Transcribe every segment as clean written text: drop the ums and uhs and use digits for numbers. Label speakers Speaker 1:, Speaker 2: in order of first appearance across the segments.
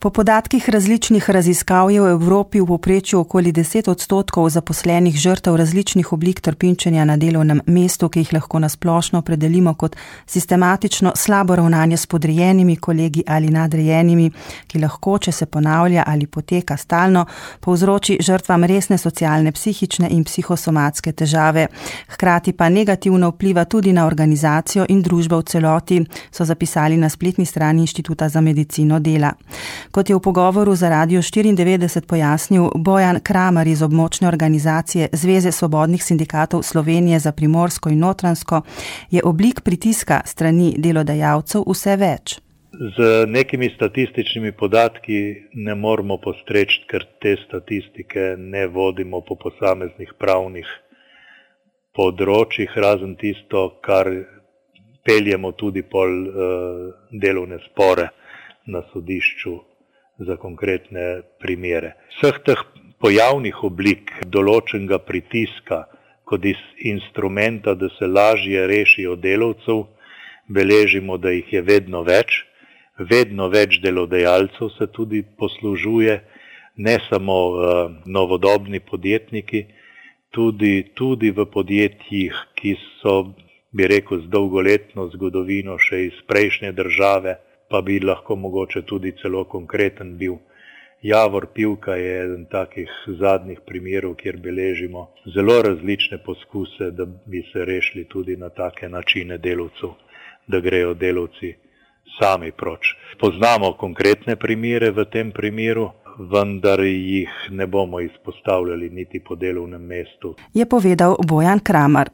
Speaker 1: Po podatkih različnih raziskav je v Evropi v povprečju okoli 10% zaposlenih žrtev različnih oblik trpinčenja na delovnem mestu, ki jih lahko nasplošno opredelimo kot sistematično slabo ravnanje s podrejenimi kolegi ali nadrejenimi, ki lahko, če se ponavlja ali poteka stalno, povzroči žrtvam resne socialne, psihične in psihosomatske težave. Hkrati pa negativno vpliva tudi na organizacijo in družbo v celoti, so zapisali na spletni strani Inštituta za medicino dela. Kot je v pogovoru za Radio 94 pojasnil Bojan Kramer iz območne organizacije Zveze svobodnih sindikatov Slovenije za Primorsko in Notranjsko, je oblik pritiska strani delodajalcev vse več.
Speaker 2: Z nekimi statističnimi podatki ne moramo postreči, ker te statistike ne vodimo po posameznih pravnih področjih, razen tisto, kar peljemo tudi pol delovne spore na sodišču za konkretne primere. Vseh teh pojavnih oblik določenega pritiska kot instrumenta, da se lažje rešijo delavcev, beležimo, da jih je vedno več delodajalcev se tudi poslužuje, ne samo novodobni podjetniki, tudi v podjetjih, ki so, bi rekel, z dolgoletno zgodovino še iz prejšnje države, pa bi lahko mogoče tudi celo konkreten bil. Javor Pivka je eden takih zadnjih primerov, kjer beležimo zelo različne poskuse, da bi se rešili tudi na take načine delavcev, da grejo delavci sami proč. Poznamo konkretne primere v tem primeru, vendar jih ne bomo izpostavljali niti po delovnem mestu.
Speaker 1: Je povedal Bojan Kramer.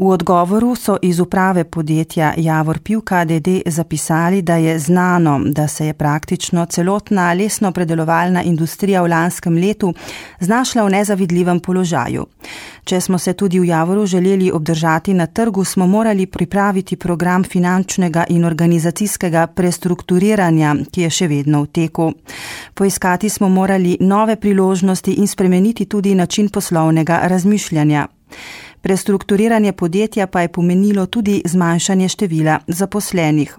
Speaker 1: V odgovoru so iz uprave podjetja Javor Pivka d.d. zapisali, da je znano, da se je praktično celotna lesnopredelovalna industrija v lanskem letu znašla v nezavidljivem položaju. Če smo se tudi v Javoru želeli obdržati na trgu, smo morali pripraviti program finančnega in organizacijskega prestrukturiranja, ki je še vedno v teku. Poiskati smo morali nove priložnosti in spremeniti tudi način poslovnega razmišljanja. Prestrukturiranje podjetja pa je pomenilo tudi zmanjšanje števila zaposlenih.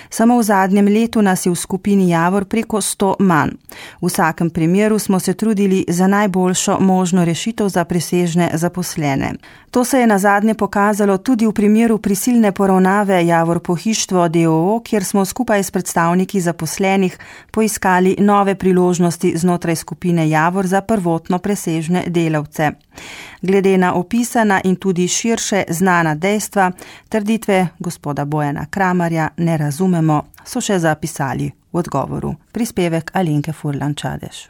Speaker 1: Samo v zadnjem letu nas je v skupini Javor preko 100 manj. V vsakem primeru smo se trudili za najboljšo možno rešitev za presežne zaposlene. To se je nazadnje pokazalo tudi v primeru prisilne poravnave Javor Pohištvo d.o.o., kjer smo skupaj s predstavniki zaposlenih poiskali nove priložnosti znotraj skupine Javor za prvotno presežne delavce. Glede na opisana in tudi širše znana dejstva, trditve gospoda Bojana Kramerja ne razumemo, so še zapisali v odgovoru. Prispevek Alenke Furlan Čadež.